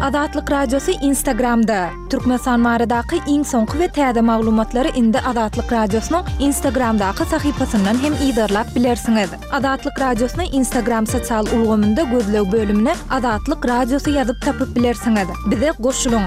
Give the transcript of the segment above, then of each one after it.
Azatlyk Radiosy Instagramda! Türkmenistan baradaky iň soňky we täze maglumatlary indi Azatlyk Radiosynyň Instagramdaky sahypasyndan hem yzarlap bilersiňiz. Azatlyk Radiosyny Instagram sosial ulgamynda gözleg bölümine Azatlyk Radiosy ýazyp tapyp bilersiňiz. Bize goşulyň!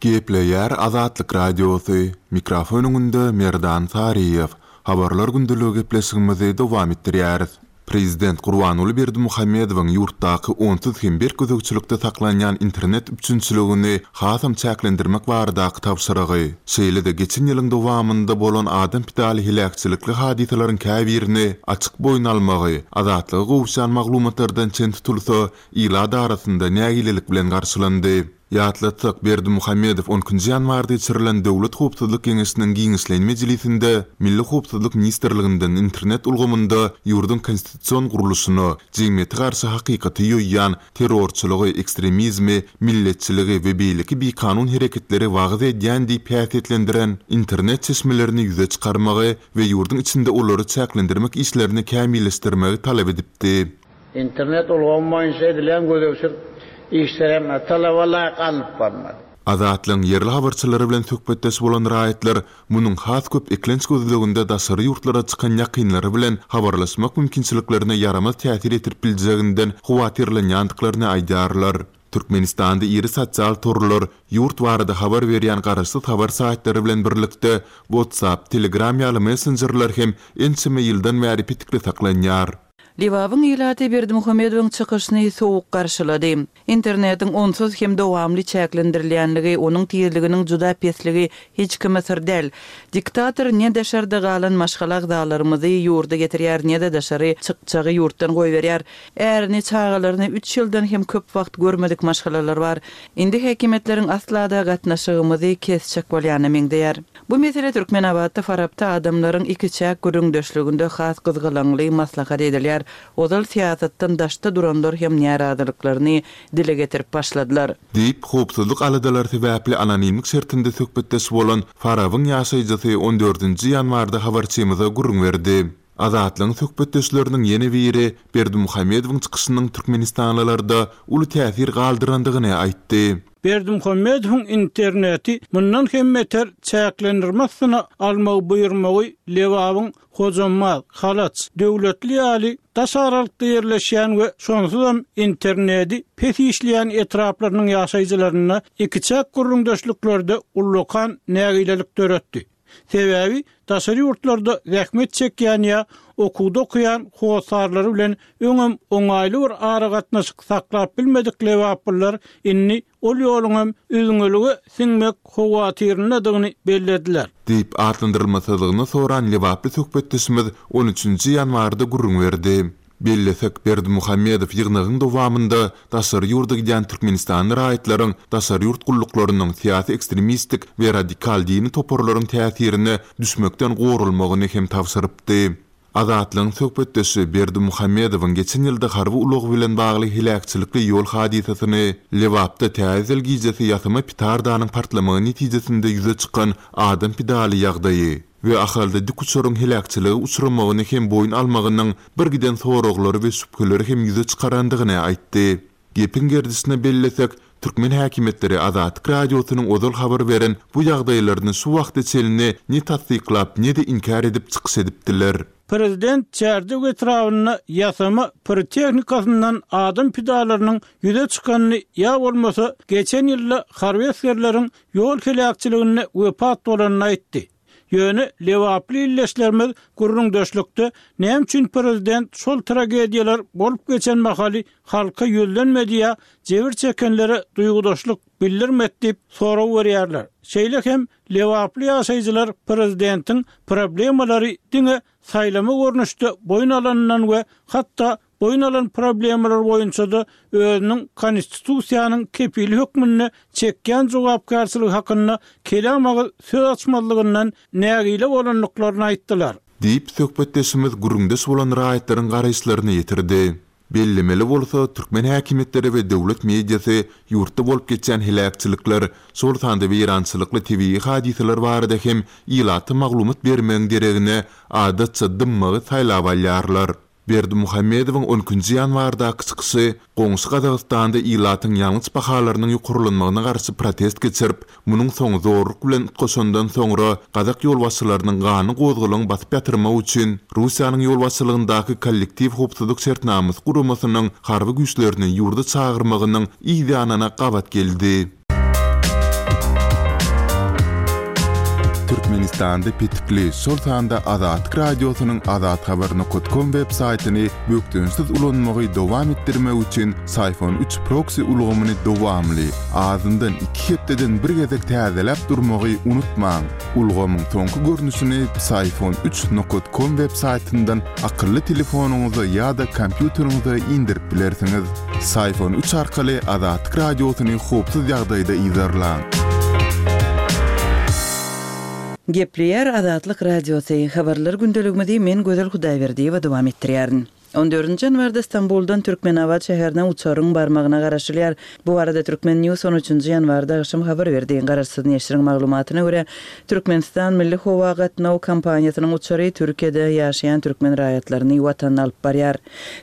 Gepleýär Azatlyk Radiosy, mikrofon öňünde Merdan Saryýew. Habarlar gündeligi gepleşigimizi dowam etdirýäris. Prezident Gurbanguly Berdimuhamedowyň ýurtdaky onsuz hem berk gözegçilikde saklanýan internet üpjünçiligini hasam çäklendirmek baradaky tabşyrygy, şeýle-de geçen ýylyň dowamynda bolan adam pidaly heläkçilikli hadysalaryň käbirini açyk boýun almagy, Azatlyga gowuşýan maglumatlardan çen tutulsa, ilat arasynda nägilelik bilen garşylandy. Ýatlatsak, Berdimuhamedow on ikinji ýanwarda geçirilen Döwlet howpsuzlyk geňeşiniň giňişleýin mejlisinde Milli howpsuzlyk ministrliginden internet ulgamynda ýurduň konstitusion gurluşyna, jemgyýete garşy hakykaty ýoýýan, terrorçylygy, ekstremizmi, milletçiligi we beýleki bikanun hereketleri wagyz edýän diýip häsiýetlendiren internet çeşmelerini ýüze çykarmagy we ýurduň içinde olary çäklendirmek işlerini kämilleşdirmegi talap edipdi. Internet ulgamy boýunça edilýän gözegçilik işleri hem talaba laýyk alnyp barylmady. Azatlygyň ýerli habarçylary bilen söhbetdeş bolan raýatlar munuň has köp eklenç gözleginde daşary ýurtlara çykan ýakynlary bilen habarlaşmak mümkinçiliklerine ýaramaz täsir ýetirip biljeginden howatyrlanýandyklaryny aýdýarlar. Türkmenistanda iri sosial torlar, ýurt barada habar berýän garaşsyz habar saýtlary bilen birlikde WhatsApp, Telegram ýaly messenjerler hem ençeme ýyldan bäri petikli saklanýar. Lebabyň ilaty Berdimuhamedowyň çykyşyny sowuk garşylady. Internetiň onsuz hem dowamly çäklendirilýänligi, onuň tizliginiň juda pesligi hiç kime syr däl. Diktator ne daşarda galan maşgala agzalarymyzy ýurda getirýär, ne-de daşary çykjagy ýurtdan goýberýär. Ärini, çagalaryny üç ýyldan hem köp wagt görmedik maşgalalar bar. Indi häkimiýetleriň asla-da gatnaşygymyzy kesjek bolýana meňzeýär. Bu mesele Türkmenabatda Farapda adamlaryň ikiçäk gürrüňdeşliginde has gyzgalaňly maslahat edilýär. Ozal syýasatdan daşda duranlar hem närazylyklaryny dile getirip başladylar. Diýip, howpsuzlyk aladalary sebäpli anonimlik şertinde söhbetdeş bolan Farabyň ýaşaýjysy on dördünji ýanwarda habarçymyza gürrüň berdi. Azatlygyň söhbetdeşleriniň ýene biri Berdimuhamedowyň çykyşynyň türkmenistanlylarda uly täsir galdyrandygyny aýtdy. Berdimuhamedowyň interneti mundan hem beter çäklendirme astyna almagy buýurmagy Lebabyň Hojambaz, Halaç, Döwletli ýaly daş aralykda ýerleşýän we şonsuzam internedi pes işleýän etraplarynyň ýaşaýjylarynda ikiçäk gürrüňdeşliklerde ullakan nägilelik döretdi. Sebäbi daşary ýurtlarda zähmet çekýän ýa okuwda okaýan hossarlary bilen öňem oňaýly bir aragatnaşyk saklap bilmedik lebaplylar indi ol ýoluňam üzňelige siňmek howatyryndadygyny bellediler. Diýip, atlandyrylmasyzlygyny soran lebaply söhbetdeşimiz on üçünji ýanwarda gürrüň berdi. Bellesek, Berdimuhamedow ýygnagyň dowamynda daşary ýurda gidýän türkmenistanly raýatlaryň daşary ýurt gulluklarynyň, syýasy ekstremistik we radikal dini toparlaryň täsirine düşmekden goralmagyny hem tabşyrypdy. Azatlygyň söhbetdeşi Berdimuhamedowyň geçen ýylda harby ulag bilen bagly heläkçilikli ýol hadysasyny, Lebapda Täze ýyl gijesi ýasama pitardanyň partlamagy netijesinde ýüze çykan adam pidaly ýagdaýy, we Ahalda dikuçaryň heläkçilige uçramagyny hem boýun almagynyň birgiden soraglary we şübheleri hem ýüze çykarandygyny aýtdy. Gepiň gerdişine bellesek, türkmen häkimiýetleri Azatlyk Radiosynyň ozal habar beren bu ýagdaýlaryny şu wagta çenli ne tassyklap, ne-de inkär edip çykyş edipdiler. Prezident Çärjew etrabynda ýasama pirotehnikasyndan adam pidalarynyň ýüze çykanyny ýa bolmasa geçen ýylda harby esgerleriň ýol heläkçiliginde wepat bolanyny aýtdy. Ýöne lebaply ildeşlerimiz gürrüňdeşlikde näme üçin prezident şol tragediýalar bolup geçen mahaly halka ýüzlenmedi ýa jebir çekenlere duýgudaşlyk bildirmedi diýip sorag berýärler. Şeýle hem lebaply ýaşaýjylar prezidentiň problemalary diňe saýlama görnüşde boýun alanyndan we hatda boýun alan problemalar boýunça-da özüniň Konstitusiýanyň kepili hökmünde çekýän jogapkärçiligi hakynda kelam agyz söz açmazlygyndan nägile bolandyklaryny aýtdylar. Diýip, söhbetdeşimiz gürrüňdeş bolan raýatlaryň garaýyşlaryny ýetirdi. Bellemeli bolsa, türkmen häkimiýetleri we döwlet mediasy ýurtda bolup geçýän heläkçilikler, şol sanda weýrançylykly tebigy hadysalar barada hem ilata maglumat bermegiň deregine, adatça dymmagy saýlap alýarlar. Berdimuhamedowyň on ikinji ýanwardaky çykyşy goňşy Gazagystanda ilatyň ýangyç bahalarynyň ýokarlanmagyna garşy protest geçirip, munuň soňy zorluk bilen utgaşandan soňra gazak ýolbaşçylarynyň ganly gozgalaňy basyp ýatyrmak üçin Russiýanyň ýolbaşçylygyndaky Kollektiw howpsuzlyk şertnamasy guramasynyň harby güýçlerini ýurda çagyrmagynyň yz ýanyna gabat geldi. Türkmenistanda petikli, şol sanda Azatlyk Radiosynyň azathabar nokat kom web saýtyny bökdençsiz ulanmagy dowam etdirmek üçin Syfon üç proksi ulgamyny dowamly, azyndan iki hepdeden bir gezek täzeläp durmagy unutmaň. Ulgamyň soňky görnüşini Psiphon üç nokat kom web saýtyndan akylly telefonyňyza ýa-da kompýuteriňize indirip bilersiňiz. Psiphon üç arkaly Azatlyk Radiosyny howpsuz ýagdaýda yzarlaň. Gepleýär Azatlyk Radiosy, Habarlar gündeligimizi men Gözel Hudaýberdiýewa dowam etdirýärin. On dördünji ýanwarda Stambuldan Türkmenabat şäherine uçaryň barmagyna garaşylýar. Bu barada Turkmen. News on üçünji ýanwarda agşam habar berdi. Garaşsyz neşiriň maglumatyna görä, Türkmenistan milli howa gatnaw kompaniýasynyň uçary Türkiýede ýaşaýan türkmen raýatlaryny Watanyna alyp barýar.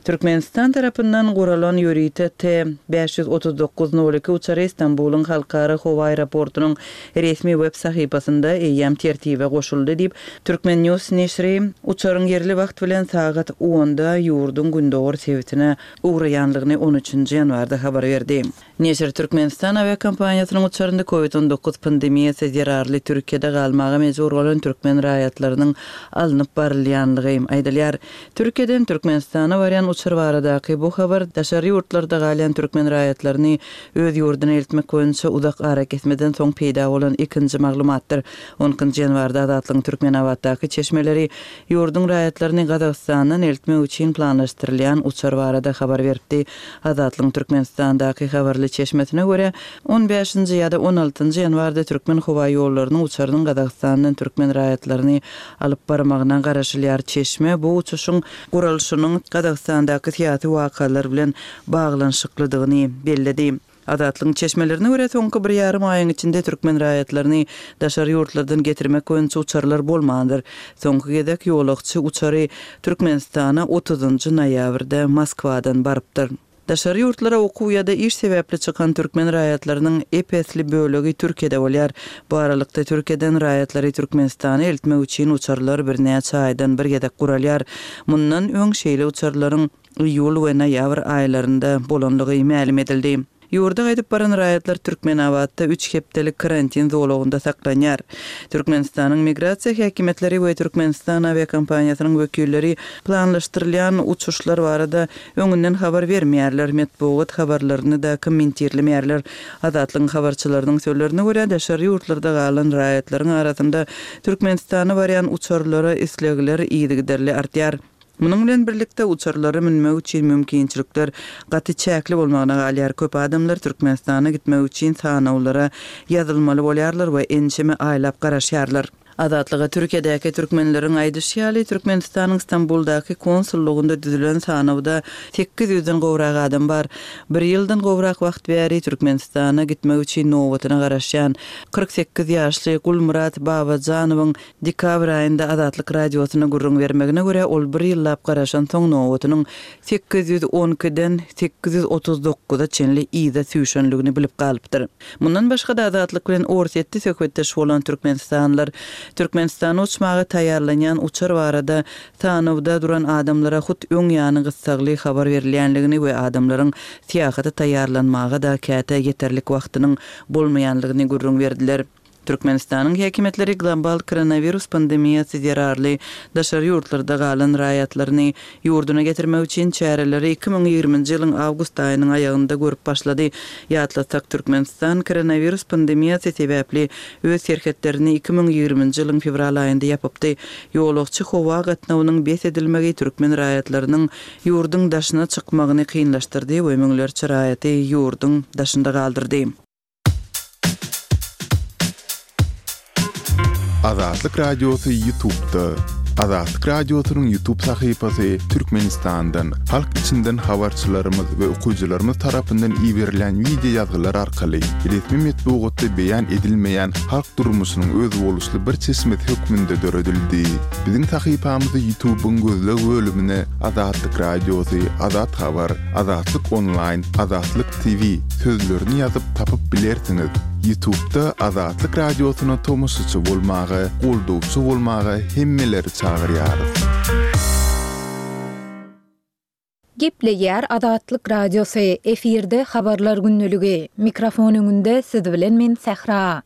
Türkmenistan tarapyndan guralan ýörite T, 539 nol iki uçary Stambulyň halkara howa aeroportunyň resmi web sahypasynda eýýäm tertibe goşuldy diýip, Turkmen. News neşiri uçaryň ýerli wagt bilen sagat onda ýurduň gündogar sebitine ugraýanlygyny on üçünji ýanwarda habar berdi. Neşir Türkmenistan awiakompaniýasynyň uçarynda Covid 19 pandemiýasy zerarly Türkiýede galmaga mejbur bolan türkmen raýatlarynyň alnyp barylýanlygy aýdylýar. Türkiýeden Türkmenistana barýan uçar baradaky bu habar daşary ýurtlarda galýan türkmen raýatlaryny öz ýurduna eltmek boýunça uzak arakesmeden soň peýda bolan ikinji maglumatdyr. On ikinji ýanwarda Azatlygyň Türkmenabatdaky çeşmeleri ýurduň raýatlaryny Gazagystandan eltmek üçin planlaşdyrylýan uçar barada habar beripdi. Azatlygyň Türkmenistandaky habarly çeşmesine görä, on bäşinji ýa-da on altynjy ýanwarda Türkmenhowaýollarynyň uçarynyň Gazagystandan türkmen raýatlaryny alyp barmagyna garaşylýar. Çeşme bu uçuşyň guralyşynyň Gazagystandaky syýasy wakalar bilen baglanyşyklydygyny belledi. Azatlygyň çeşmelerine görä, soňky bir ýarym aýyň içinde türkmen raýatlaryny daşary ýurtlardan getirmek boýunça uçarlar bolmandyr. Soňky gezek ýolagçy uçary Türkmenistana otuzynjy noýabrda Moskwadan barypdyr. Daşary ýurtlara okuw ýa-da iş sebäpli çykan türkmen raýatlarynyň ep-esli bölegi Türkiýede bolýar. Bu aralykda Türkiýeden raýatlary Türkmenistana eltmek üçin uçarlar birnäçe aýdan bir gezek guralýar. Mundan öň şeýle uçarlaryň iýul we noýabr aýlarynda bolandygy mälim edildi. Ýurda gaýdyp baran raýatlar Türkmenabatda üç hepdelik karantin zolagynda saklanýar. Türkmenistanyň migrasiýa häkimiýetleri we Türkmenistan awiakompaniýasynyň wekilleri planlaşdyrylýan uçuşlar barada öňünden habar bermeýärler, metbugat habarlaryny-da kommentirlemeýärler. Azatlygyň habarçylarynyň sözlerine görä, daşary ýurtlarda galan raýatlaryň arasynda Türkmenistana barýan uçarlara islegler yzygiderli artýar. Munuň bilen birlikde, uçarlara münmek üçin mümkinçilikler gaty çäkli bolmagyna galýar. Köp adamlar Türkmenistana gitmek üçin sanawlara ýazylmaly bolýarlar we ençeme aýlap garaşýarlar. Azatlyga Türkiýedäki türkmenleriň aýdyşy ýaly, Türkmenistanyň Stambuldaky konsullygynda düzülen sanawda sekiz ýüzden gowrak adam bar. Bir ýyldan gowrak wagt bäri Türkmenistana gitmek üçin nobatyna garaşýan 48 ýaşly Gulmyrat Babajanowyň Dekabr aýynda Azatlyk Radiosyna gürrüň bermegine görä, ol bir ýyllap garaşansoň nobatynyň 812-den 839-a çenli yza süýşenligini bilip galypdyr. Mundan başga-da Azatlyk bilen Orsýetde söhbetdeş bolan türkmenistanlylar Türkmenistana uçmaga taýýarlanýan uçar barada sanawda duran adamlara hut öň ýany gyssagly habar berilýänligini we adamlaryň syýahata taýýarlanmaga-da käte ýeterlik wagtynyň bolmaýanlygyny gürrüň berdiler. Türkmenistanyň häkimiýetleri global koronawirus pandemiýasy zerarly daşary ýurtlarda galan raýatlaryny ýurduna getirmek üçin çäreleri 2020-nji ýylyň awgust aýynyň aýagynda görüp başlady. Ýatlatsak, Türkmenistan koronawirus pandemiýasy sebäpli öz serhetlerini 2020-nji ýylyň fewral aýynda ýapypdy. Ýolagçy howa gatnawynyň bes edilmegi türkmen raýatlarynyň ýurduň daşyna çykmagyny kynlaşdyrdy we müňlerçe raýaty ýurduň daşynda galdyrdy. Azatlyk Radiosy YouTube'da. Azatlyk Radiosynyň YouTube sahypasy Türkmenistandan, halk içinden habarçylarymyz we okyjylarymyz tarapyndan iberilýän wideo ýazgylar arkaly resmi metbugatda beýan edilmeýän halk durmuşynyň özboluşly bir çeşmesi hökmünde döredildi. Biziň sahypamyzy YouTube-yň gözleg bölümine Azatlyk Radiosy, Azat Habar, Azatlyk Onlaýn, Azatlyk TV sözlerini ýazyp tapyp bilersiňiz. Ýutubda Azatlyk Radiosyna tomaşaçy bolmaga, goldawçy bolmaga hemmeleri çagyrýarys. Gepleýär Azatlyk Radiosy, efirde Habarlar gündeligi. Mikrofon öňünde siz bilen men Sähra.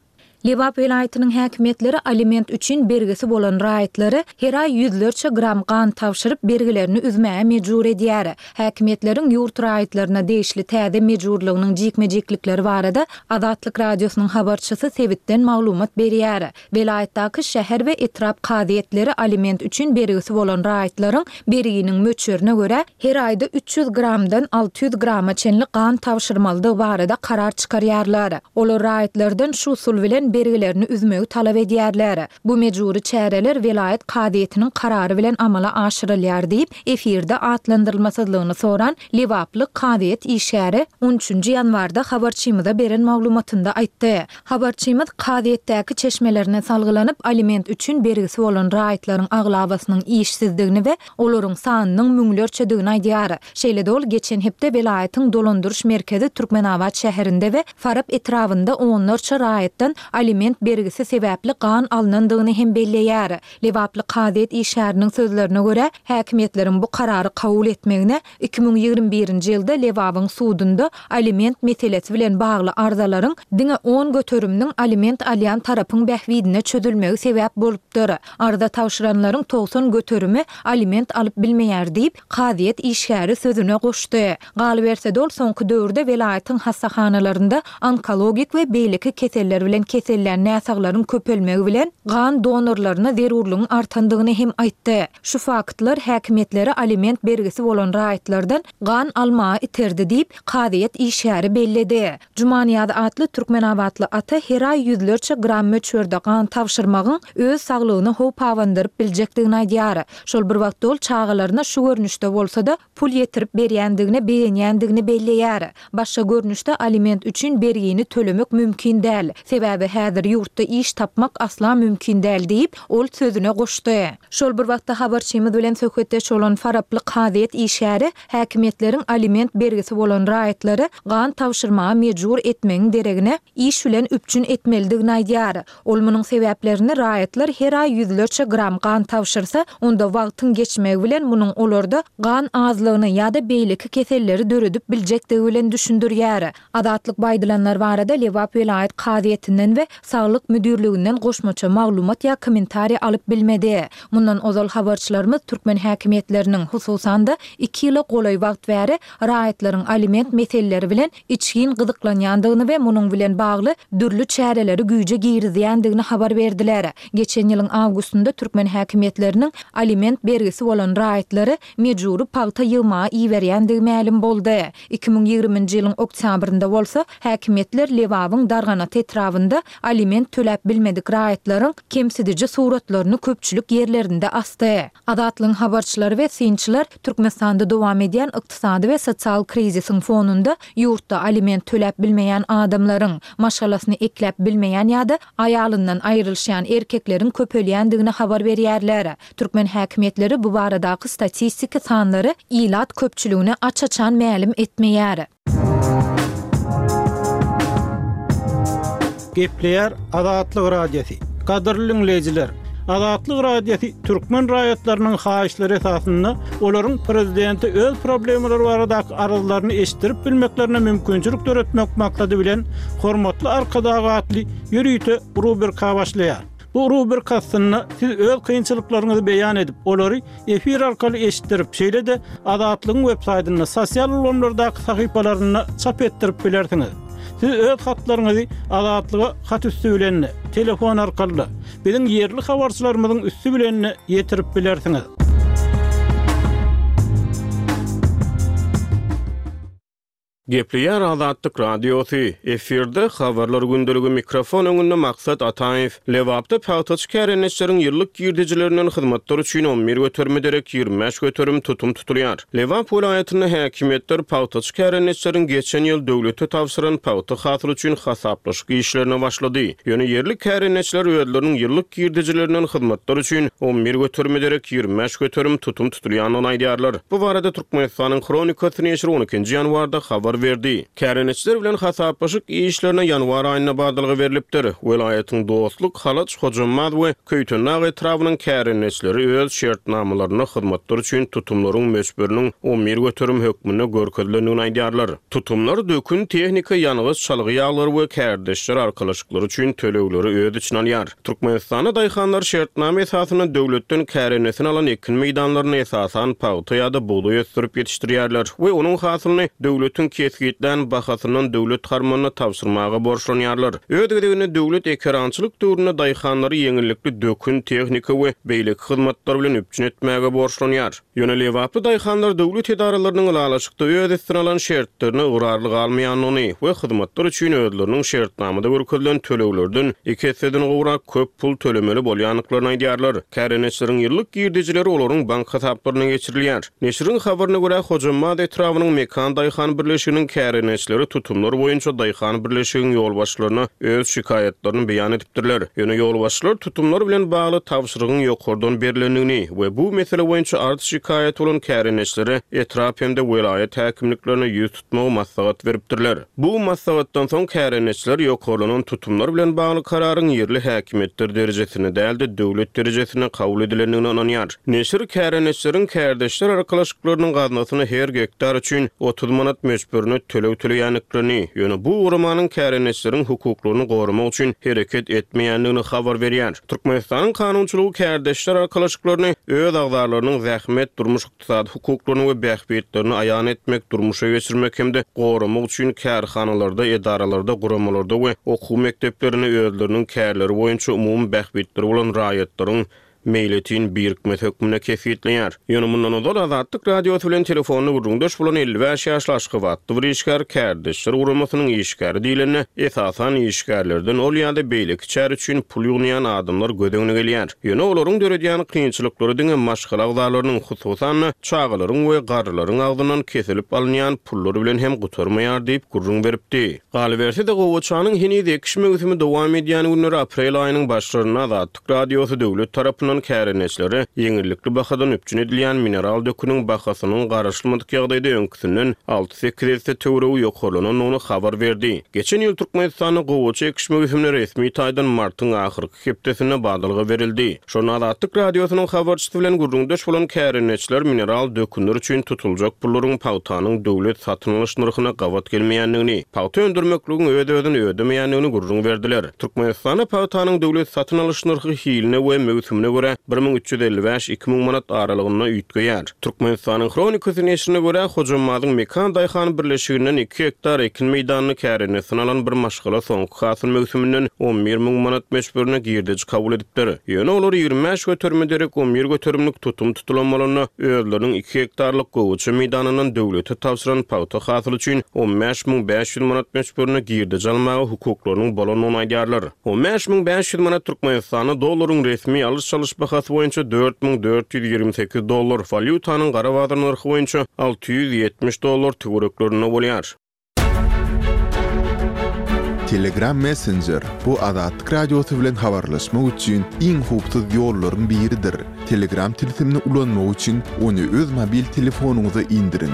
Lebap welaýatynyň häkimiýetleri aliment üçin bergisi bolan raýatlary her aý ýüzlerçe gram gan tabşyryp, bergilerini üzmäge mejbur edýär. Häkimiýetleriň ýurt raýatlaryna degişli täze mejburlygynyň jikme-jiklikleri barada Azatlyk Radiosynyň habarçysy sebitden maglumat berýär. Welaýatdaky şäher we etrap kazyýetleri aliment üçin bergisi bolan raýatlaryň berginiň möçberine görä, her aýda 300 gramdan 600 grama çenli gan tabşyrmalydygy barada karar çykarýarlar. Olar raýatlardan şu usul bilen bergilerini üzmegi talap edýärler. Bu mejbury çäreler welaýat kazyýetiniň karary bilen amala aşyrylýar diýip, efirde atlandyrylmasyzlygyny soran lebaply kazyýet işgäri on üçünji ýanwarda habarçymyza beren maglumatynda aýtdy. Habarçymyz kazyýetdäki çeşmelerine salgylanyp, aliment üçin bergisi bolan raýatlaryň aglabasynyň işsizdigini we olaryň sanynyň müňlerçedigini aýdýar. Şeýle-de ol geçen hepde welaýatyň dolandyryş merkezi Türkmenabat şäherinde we Farap etrabynda onlarça raýatdan aliment bergisi sebäpli gan alnandygyny hem belleýär. Lebaply kazyýet işgäriniň sözlerine görä, häkimiýetleriň bu karary kabul etmegine 2021-nji ýylda Lebabyň sudunda aliment meselesi bilen bagly arzalaryň diňe on göteriminiň aliment alýan tarapyň bähbidine çözülmegi sebäp bolupdyr. Arza tabşyranlaryň 90 göterimi aliment alyp bilmeýär diýip, kazyýet işgäri sözüne goşdy. Galyberse-de ol soňky döwürde welaýatyň hassahanalarynda onkologik we beýleki keseller bilen kesellän näsaglaryň köpelmegi bilen gan donorlaryna zerurlygyň artandygyny hem aýtdy. Şu faktlar häkimiýetleri aliment bergisi bolan raýatlardan gan almaga iterdi diýip, kazyýet işgäri belledi. Jumanyýaz atly türkmenabatly ata her aý ýüzlerçe gram möçberde gan tabşyrmagyň öz saglygyna howp abandyryp biljekdigini aýdýar. Şol bir wagtda ol çagalaryna şu görnüşde bolsa-da, pul ýetirip berýändigine begenýändigini belleýär. Başga görnüşde aliment üçin bergini tölemek mümkin däl. Sebäbi häzir ýurtda iş tapmak asla mümkin däl diýip, ol sözüne goşdy. Şol bir wagtda habarçymyz bilen söhbetdeş bolan faraply kazyýet işgäri häkimiýetleriň aliment bergisi bolan raýatlary gan tabşyrmaga mejbur etmegiň deregine, iş bilen üpjün etmelidigini aýdýar. Ol munuň sebäplerini raýatlar her aý ýüzlerçe gram gan tabşyrsa, onda wagtyň geçmegi bilen munuň olarda gan azlygyny ýa-da beýleki keselleri döredip biljekdigi bilen düşündirýär. Azatlyk bu aýdylanlar barada Lebap welaýat kazyýetinden we Saglyk müdirliginden goşmaça maglumat ýa kommentariý alyp bilmedi. Mundan ozal habarçylarymyz türkmen häkimiýetleriniň, hususan-da, iki ýyla golaý wagt bäri raýatlaryň aliment meseleleri bilen içgin gyzyklanýandygyny we munuň bilen bagly dürli çäreleri güýje girizýändigini habar berdiler. Geçen ýylyň awgustynda türkmen häkimiýetleriniň aliment bergisi bolan raýatlary mejbury pagta ýygmaga iberýändigi mälim boldy. 2020-nji ýylyň oktýabrynda bolsa, häkimiýetler Lebabyň Darganata etrabynda aliment töläp bilmedik raýatlaryň kemsidiji suratlaryny köpçülik ýerlerinde asdy. Azatlygyň habarçylary we synçylar Türkmenistanda dowam edýän ykdysady we sosial krizisiň fonunda ýurtda aliment töläp bilmeýän adamlaryň, maşgalasyny ekläp bilmeýän ýa-da aýalyndan aýrylyşýan erkekleriň köpelýändigini habar berýärler. Türkmen häkimiýetleri bu baradaky statistiki sanlary ilat köpçüligine aç-açan mälim etmeýär. Gepleýär Azatlyk Radiosy. Gadyrly diňleýjiler! Azatlyk Radiosy türkmen raýatlarynyň haýyşlary esasynda olaryň prezidente öz problemalary baradaky arzlaryny eşitdirip bilmeklerine mümkinçilik döretmek maksady bilen Hormatly Arkadag atly ýörite rubrika başlaýar. Bu rubrika astynda siz öz kynçylyklaryňyzy beýan edip, olary efir arkaly eşitdirip, şeýle-de Azatlygyň websaýtynda, sosial ulgamlardaky sahypalarynda çap etdirip bilersiňiz. Siz öz hatlaryňyzy Azatlyga hat üsti bilen-de, telefon arkaly-da, biziň ýerli habarçylarymyzyň üsti bilen-de ýetirip bilersiňiz. Gepleýär Azatlyk Radiosy, efirde Habarlar gündeligi mikrofon öňünde Maksat Ataýew. Lebapda pagtaçy kärendeçileriň ýyllyk girdejilerinden hyzmatlar üçin 11 göterime derek 25% tutum tutulýar. Lebap welaýatynda häkimiýetler pagtaçy kärendeçileriň geçen ýyl döwlete tabşyran pagta hasyly üçin hasaplaşyk işlerine başlady. Ýöne ýerli kärendeçiler özleriniň ýyllyk girdejilerinden hyzmatlar üçin 11 göterime derek 25% tutum tutulýandygyny aýdýarlar. Bu barada Türkmenistanyň Hronikasy neşiri on ikinji ýanwarda habar berdi. Kärendeçiler bilen hasaplaşyk işlerine ýanwar aýynda badalga berlipdir. Welaýatyň Dostluk, Halaç, Hojambaz we Köýtendag etrabynyň kärendeçileri öz şertnamalarynda hyzmatlar üçin tutumlaryň möçberiniň 11% hökmünde görkezilendigini aýdýarlar. Tutumlar dökün, tehnika, ýangyç, çalgy ýaglary we kärdeşler arkalaşyklary üçin tölegleri öz içine alýar. Türkmenistanda daýhanlar şertnama esasynda döwletden kärendesin alan ekin meýdanlarynda esasan pagta ýa-da bugdaý ösdürip ýetişdirýärler we onuň hasylyny döwletiň kesgitlän bahasyndan döwlet harmanyna tabşyrmaga borçlanýarlar. Öz gezeginde döwlet ekerançylyk döwründe daýhanlary ýeňillikli dökün, tehnika we beýleki hyzmatlar bilen üpjün etmäge borçlanýar. Ýöne lebaply daýhanlar döwlet edaralarynyň ylalaşykda öz üstüne alan şertlerine ygrarly galmaýandygyny we hyzmatlar üçin özleriniň şertnamada görkezilen töleglerden iki esseden gowrak köp pul tölemeli bolýandyklaryny aýdýarlar. Kärendeçileriň ýyllyk girdejileri olaryň bank hasaplaryna geçirilýär. Neşiriň habaryna görä, Hojambaz etrabynyň Mekan daýhan birleşiginiň kärendeçileri tutumlar boýunça daýhan birleşigiň ýolbaşçylaryna öz şikaýatlaryny beýan edipdirler. Ýöne ýolbaşçylar tutumlar bilen bagly tabşyrygyň ýokardan berlendigini we bu mesele boýunça arz-şikaýaty bolan kärendeçilere etrap hem-de welaýat häkimliklerine ýüz tutmagy maslahat beripdirler. Bu maslahatdan soň kärendeçiler ýokarlanan tutumlar bilen bagly kararyň ýerli häkimiýetler derejesinde däl-de, döwlet derejesinde kabul edilendigine ynanýar. Neşir kärendeçileriň kärdeşler arkalaşyklarynyň gaznasyna her gektar üçin 30 manat möçberinde töleg töleýändiklerini, ýöne bu guramanyň kärendeçileriň hukuklaryny goramak üçin hereket etmeýändigini habar berýär. Türkmenistanyň kanunçylygy kärdeşler arkalaşyklaryny öz agzalarynyň zähmet, durmuş-ykdysady hukuklaryny we bähbitlerini aýan etmek, durmuşa geçirmek hem-de goramak üçin kärhanalarda, edaralarda, guramalarda we okuw mekdeplerinde özleriniň kärleri boýunça umumy bähbitleri bolan raýatlaryň meýletin birikmesi hökmünde kesgitleýär. Ýöne mundan ozal Azatlyk Radiosy bilen telefonda gürrüňdeş bolan 55 ýaşly aşgabatly bir işgär Kärdeşler guramasynyň işgäri diýlende, esasan işgärlerden ol ýa-da beýleki çäre üçin pul ýygnaýan adamlar göz öňüne gelýär. Ýöne olaryň döredýän kynçylyklary diňe maşgala agzalarynyň, hususan-da, çagalaryň we garrylaryň agzyndan kesilip alynýan pullar bilen hem gutarmaýar diýip gürrüň beripdi. Galyberse-de, gowaçanyň heniz ekiş möwsümi dowam edýän günleri aprel aýynyň başlarynda Azatlyk Radiosy döwlet tarapyndan kärendeçilere ýeňillikli bahadan üpjün edilýän mineral döküniň bahasynyň garaşylmadyk ýagdaýda öňküsinden alty-sekiz esse töweregi ýokarlanandygyny habar berdi. Geçen ýyl Türkmenistanda gowaça ekiş möwsümine resmi taýdan martyň ahyrky hepdesinde badalga berildi. Şonda Azatlyk Radiosynyň habarçysy bilen gürrüňdeş bolan kärendeçiler mineral dökünler üçin tutuljak pullaryň pagtanyň döwlet satyn alyş nyrhyna gabat gelmeýändigini, pagta öndürmekligiň öz-özüni ödemeýändigini gürrüň berdiler. Türkmenistanda pagtanyň döwlet satyn alyş nyrhy hiline we möwsümine görä 1355, 2000 manat aralygynda üýtgeýär. Türkmenistanyň Hronikasy neşirine görä, Hojammazyň Mekan daýhan birleşiginden iki gektar ekin meýdanyny kärendesine alan bir maşgala soňky hasyl möwsüminden 11 müň manat möçberinde girdeji kabul edipdir. Ýöne olar 25 göterime derek 11 göterimlik tutum tutulan bolanda, özleriniň iki gektarlyk gowaça meýdanyndan döwlete tabşyran pagta hasyly üçin 15 müň 500 manat möçberinde girdeji almaga hukuklarynyň bolandygyny aýdýarlar. 15 500 manat Türkmenistanda dollaryň resmi alyş-çalyş bahasy boýunça 4428 dollar, walýutanyň gara bazar nyrhy boýunça 670 dollar töwereklerinde bolýar. Telegram Messenger, bu Azatlyk Radiosy bilen habarlaşmak üçin iň howpsuz ýollaryň biridir. Telegram tilsimini ulanmak üçin ony öz mobil telefonyňyza indiriň.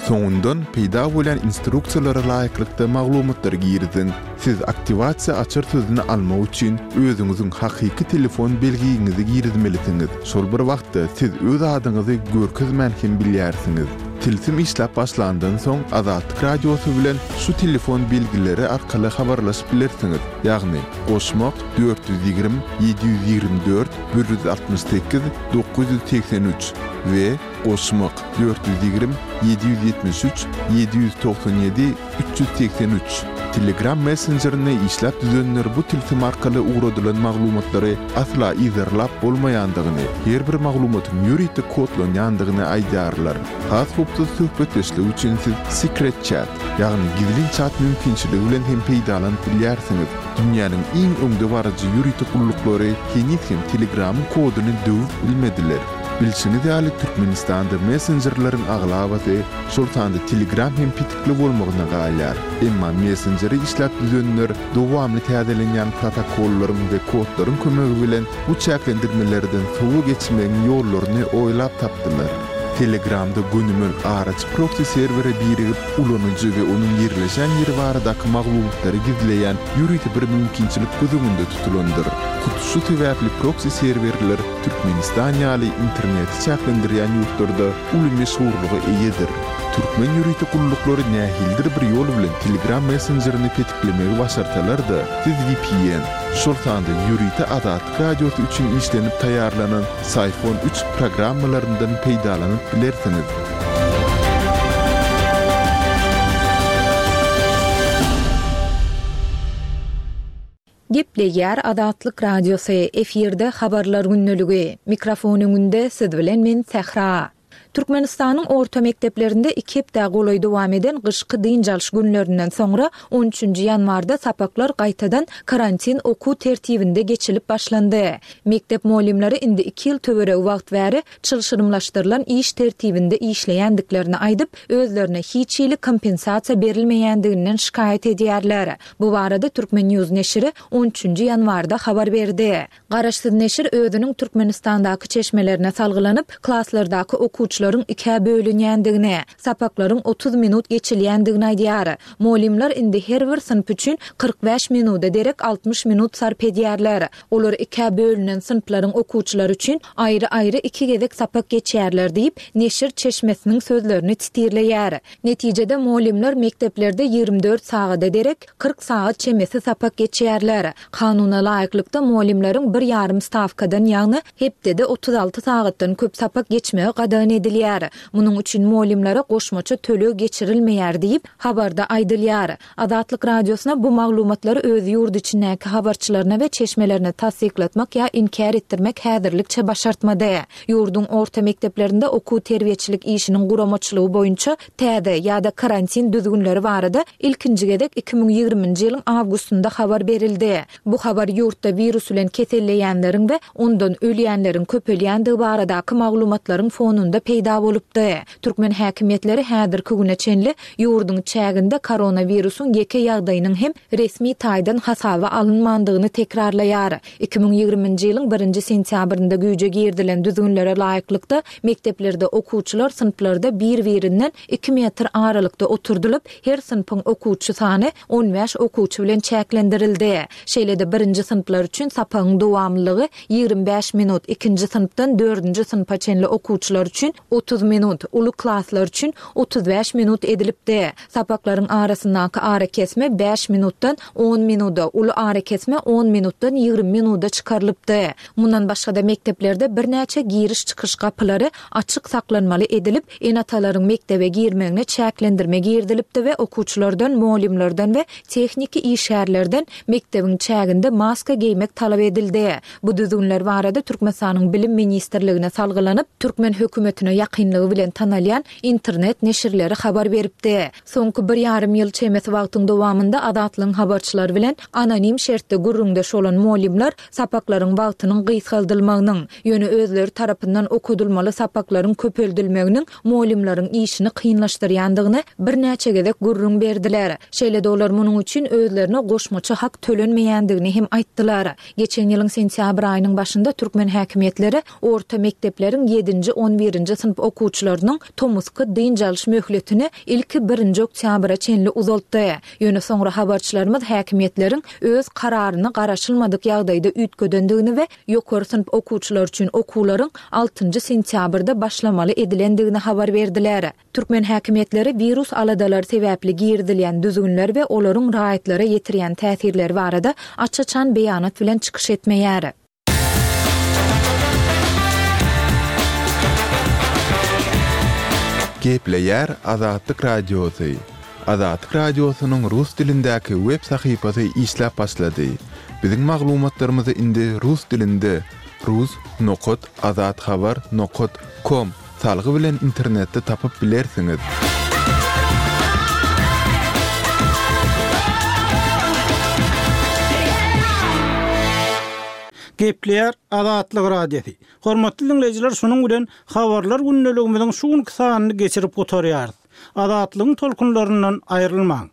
Soňundan peýda bolýan instruksiýalara laýyklykda maglumatlary giriziň. Siz aktiwasiýa açar sözüni almak üçin özüňiziň hakyky telefon belgiňizi girizmelisiňiz. Şol bir wagtda siz öz adyňyzy görkezmän hem bilýärsiňiz. Tilsim işläp başlandan soň Azatlyk Radiosy bilen şu telefon belgileri arkaly habarlaşyp bilersiňiz, ýagny, goşmak, 420 724 168 983 we Goşmak, 420 773 797 383. Telegram messenjerini işläp düzenler bu tilsim arkaly ugradylan maglumatlary asla yzarlap bolmaýandygyny, her bir maglumatyň ýörite kodlanýandygyny aýdýarlar. Has howpsuz söhbetdeşlik üçin siz Secret Chat, ýagny gizlin çat mümkinçiligi bilen hem peýdalanyp bilýärsiňiz. Dünýäniň iň öňdebaryjy ýörite gulluklary heniz hem Telegramyň koduny döwüp bilmediler. Bilşiňiz ýaly, Türkmenistanda messenjerleriň aglabasy, şol sanda Telegram hem petikli bolmagyna galýar. Emma messenjeri işläp düzenler dowamly täzelenýän protokollaryň we kodlaryň kömegi bilen bu çäklendirmelerden sowa geçmegiň ýollaryny oýlap tapdylar. Telegramda gönümel araçy proksi serwere birigip, ulanyjy we onuň ýerleşen ýeri baradaky maglumatlary gizleýän ýörite bir mümkinçilik göz öňünde tutulandyr. Hut şu sebäpli proksi serwerler Türkmenistan ýaly interneti çäklendirýän ýurtlarda uly meşhurlyga eýedir. Türkmen ýörite gulluklary nähilidir bir ýol bilen Telegram messenjerini petiklemegi başarsalar-da, siz vpn, şol sanda ýörite Azatlyk Radiosy üçin işlenip taýýarlanan Syphon üç programmalaryndan peýdalanyp bilersiňiz. Gepleýär Azatlyk Radiosy, efirde Habarlar gündeligi. Mikrofon öňünde siz bilen men Sähra. Türkmenistanyň orta mekdeplerinde iki hepdä golaý dowam eden gyşky dynç alyş günlerinden soňra on üçünji ýanwarda sapaklar gaýtadan karantin okuw tertibinde geçilip başlandy. Mekdep mugallymlary indi iki ýyl töweregi wagt bäri çylşyrymlaşdyrylan iş tertibinde işleýändiklerini aýdyp, özlerine hiç hili kompensasiýa berilmeýändiginden şikaýat edýärler. Bu barada Turkmen News neşiri on üçünji ýanwarda habar berdi. Garaşsyz neşir özüniň Türkmenistandaky çeşmelerine salgylanyp, klaslardaky okuwçylaryň ikä bölünýändigini, sapaklaryň 30 minut geçilýändigini aýdýar. Mugallymlar indi her bir synp üçin 45 minuda derek 60 minut sarp edýärler. Olar ikä bölünen synplaryň okuwçylary üçin aýry-aýry iki gezek sapak geçýärler diýip, neşir çeşmesiniň sözlerini titirleýär. Netijede, mugallymlar mekdeplerde 24 sagada derek 40 sagat çemesi sapak geçýärler. Kanuna laýyklykda, mugallymlaryň bir ýarym stawkadan, ýagny hepdede 36 sagatdan köp sapak geçmegi gadagan edilýär. Munuň üçin mugallymlara goşmaça töleg geçirilmeýär diýip, habarda aýdylýar. Azatlyk Radiosyna bu maglumatlary öz ýurt içindäki habarçylaryna we çeşmelerine tassyklatmak ýa inkär etdirmek häzirlikçe başartmady. Ýurduň orta mekdeplerinde okuw-terbiýeçilik işiniň guramaçylygy boýunça täze ýa-da karantin düzgünleri barada ilkinji gezek 2020-nji ýylyň awgustynda habar berildi. Bu habar ýurtda wirus bilen keselleýänleriň we ondan ölýänleriň köpelýändigi baradaky maglumatlaryň fonunda peýda bolupdy. Türkmen häkimiýetleri häzirki güne çenli ýurduň çäginde koronawirusyň ýeke ýagdaýynyň hem resmi taýdan hasaba alynmandygyny tekrarlaýar. 2020-nji ýylyň birinji sentýabrynda güýje girizilen düzgünlere laýyklykda, mekdeplerde okuwçylar synplarda bir-birinden iki metr aralykda oturdylyp, her synpyň okuwçy sany on bäş okuwçy bilen çäklendirildi. Şeýle-de birinji synplar üçin sapagyň dowamlylygy 25 minut, ikinji synpdan dördünji synpa çenli okuwçylar üçin 30 minut, uly klaslar üçin 35 minut edilipdi. Sapaklaryň arasyndaky arakesme bäş minutdan on minuda, uly arakesme on minutdan 20 minuda çykarylypdy. Mundan başga-da mekdeplerde birnäçe giriş-çykyş gapylary açyk saklanmaly edilip, ene-atalaryň mekdebe girmegine çäklendirme girizilipdi we okuwçylardan, mugallymlardan we tehniki işgärlerden mekdebiň çäginde maska geýmek talap edildi. Bu düzgünler barada Türkmenistanyň Bilim ministrligine salgylanyp, türkmen hökümetine ýakynlygy bilen tanalýan internet neşirleri habar beripdi. Soňky bir ýarym ýyl çemesi wagtyň dowamynda Azatlygyň habarçylary bilen anonim şertde gürrüňdeş bolan mugallymlar sapaklaryň wagtynyň gysgaldylmagynyň, ýöne özleri tarapyndan okadylmaly sapaklaryň köpeldilmeginiň mugallymlaryň işini kynlaşdyrýandygyny birnäçe gezek gürrüň berdiler. Şeýle-de olar munuň üçin özlerine goşmaça hak tölenmeýändigini hem aýtdylar. Geçen ýylyň sentýabr aýynyň başynda türkmen häkimiýetleri orta mekdepleriň ýedinji, on birinji synp okuwçylarynyň tomusky dynç alyş möhletini ilki birinji oktýabra çenli uzaltdy. Ýöne soňra habarçylarymyz häkimiýetleriň öz kararyny garaşylmadyk ýagdaýda üýtgedendigini we ýokary synp okuwçylary üçin okuwlaryň altynjy sentýabrda başlamaly edilendigini habar berdiler. Türkmen häkimiýetleri wirus aladalary sebäpli girizilýän düzgünler we olaryň raýatlara ýetirýän täsirleri barada aç-açan beýanat bilen çykyş etmeýär. Gepleýär Azatlyk Radiosy. Azatlyk Radiosynyň rus dilindäki web sahypasy işläp başlady. Biziň maglumatlarymyzy indi rus dilinde rus nokat azathabar nokat kom salgy bilen internetde tapyp bilersiňiz. Gepleýär Azatlyk Radiosy. Hormatly diňleýjiler şunuň bilen Habarlar gündeligimiziň şu günki sanyny geçirip gutarýarys. Azatlygyň tolkunlaryndan aýrylmaň!